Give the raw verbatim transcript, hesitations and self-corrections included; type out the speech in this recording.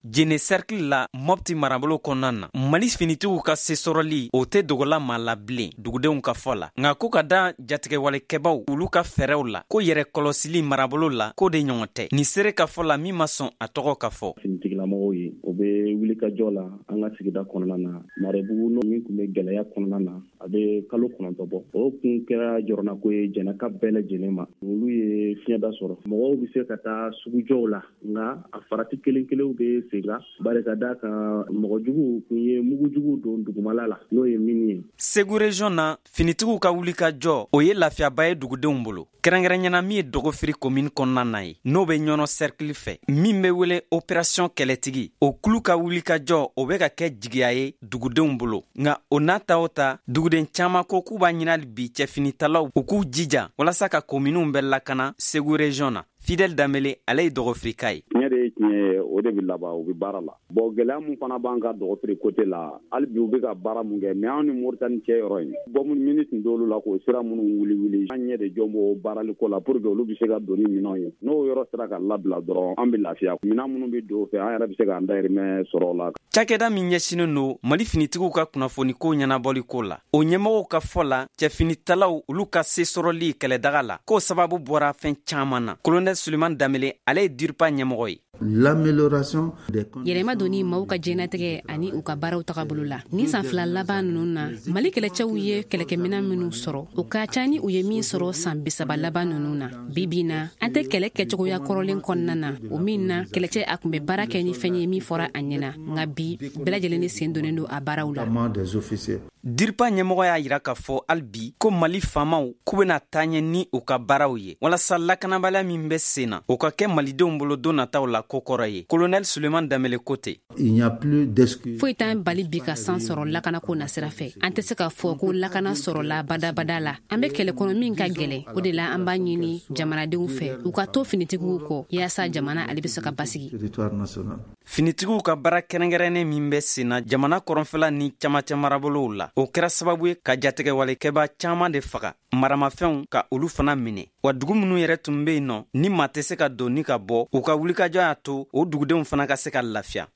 Jene cercle la, Mɔpti marabolo kɔnɔna na, Mali finitigiw ka sesɔrɔli, o tɛ dogola maa la bilen dugudenw ka fɔ la. Nka ko ka da jatigɛwalekɛbaw olu ka fɛɛrɛw la, ko yɛrɛ kɔlɔsili marabolo la, ko de ɲɔgɔn tɛ. Nin seere ka fɔ la, min ma sɔn a tɔgɔ ka fɔ. Finitigilamɔgɔw ye, o bɛ wulikajɔ la an ka sigida kɔnɔna na. Marebugu n'o min tun bɛ gɛlɛya kɔnɔna na, a bɛ kalo kɔnɔntɔn bɔ, o kun kɛra jɔrɔnako ye jɛnɛka bɛɛ lajɛlen ma. Olu ye fiɲɛda sɔrɔ, mɔgɔw bɛ se ka taa sugujɔw la, nka a farati kelen kelenw bɛ sen kan, bari ka d'a kan mɔgɔjuguw kun ye mugujugu don dugumala la, n'o ye mini ye. Segu région na, finitigiw ka wulikajɔ, o ye lafiyaba ye dugudenw bolo, kɛrɛnkɛrɛnyana min ye Dɔgɔfiri commune kɔnɔna na ye, n'o bɛ Ɲɔnɔ cercle fɛ, min bɛ wele opération kɛlɛtigi. O kulu ka wulikajɔ, o bɛ ka kɛ jigiya ye dugudenw bolo. Nka o n'a ta o ta, duguden caaman ko k'u b'a ɲini bi cɛfinitalaw u k'u jija walasa ka kominiw bɛɛ lakana Segu région na. Fidèle Danbele, ale ye Dɔgɔfirika ye. Tiɲɛ de ye tiɲɛ ye, o de bɛ laban, u bɛ baara la. Bon, gɛlɛya mun fana b'an ka Dɔgɔfiri côté la, hali bi u bɛ ka baara mun kɛ, mais anw ni Moritani cɛ yɔrɔ in, bɔmu mini tun t'olu la k'o sira minnu wuli wuli, an ɲɛ de jɔ b'o baaraliko la pour que olu bɛ se ka don ni minɛnw ye. N'o yɔrɔ sera ka labila dɔrɔn, an bɛ lafiya. Minɛn minnu bɛ don o fɛ, an yɛrɛ bɛ se k'an dahirimɛ sɔrɔ o la. Cakɛda min ɲɛsinen don Mali finitigiw ka kunnafoniko ɲɛnabɔliko la, o ɲɛmɔgɔw ka fɔ la, cɛfinitalaw olu ka se sɔrɔli kɛlɛdaga la, k'o sababu bɔra fɛn caaman na. Colonel Suleiman Danbele, ale ye DIRPA ɲɛmɔgɔ ye. L'amélioration des Yɛlɛma donni maaw ka diɲɛnatigɛ ani u ka baaraw tagabolo la. Ni san fila laban ninnu na, Mali kɛlɛcɛw ye kɛlɛkɛminɛn minnu sɔrɔ, o ka ca ni u ye min sɔrɔ san bisaba laban ninnu na. Bi bi na, an tɛ kɛlɛ kɛcogoya kɔrɔlen kɔnɔna na, o min na kɛlɛcɛ a tun bɛ baara kɛ ni fɛn ye min fɔra a ɲɛna. Nka bi, bɛɛ lajɛlen ni sen donnen don a baaraw la. Des officiers. DIRPA ɲɛmɔgɔ y'a yira k'a fɔ hali bi ko Mali faamaw k'u bena taa ɲɛ ni u ka baaraw ye, walasa lakanabaliya min bɛ sen na, o ka kɛ malidenw bolo don nataw la ko kɔrɔ ye. Colonel Suleiman Danbele ko ten. Il n'y a plus d'excuses. Foyi t'an bali bi ka san sɔrɔ lakanako nasira fɛ. An tɛ se k'a fɔ ko lakana sɔrɔla badabada la. An bɛ kɛlɛ kɔnɔ min ka gɛlɛn. O de la, an b'a ɲini jamanadenw fɛ, u ka to finitigiw kɔ, yaasa jamana ale bɛ se ka basigi. Territoire national. Finitigiw ka baara kɛrɛnkɛrɛnnen min bɛ sen na jamana kɔrɔnfɛla ni camancɛ marabolow la, o kɛra sababu ye ka jatigɛwalekɛba caaman de faga, maramafɛnw ka olu fana minɛ. Wa dugu minnu yɛrɛ tun be yen nɔ ni maa tɛ se ka don ni ka bɔ, u ka wulikajɔ y'a to o dugudenw fana ka se ka lafiya.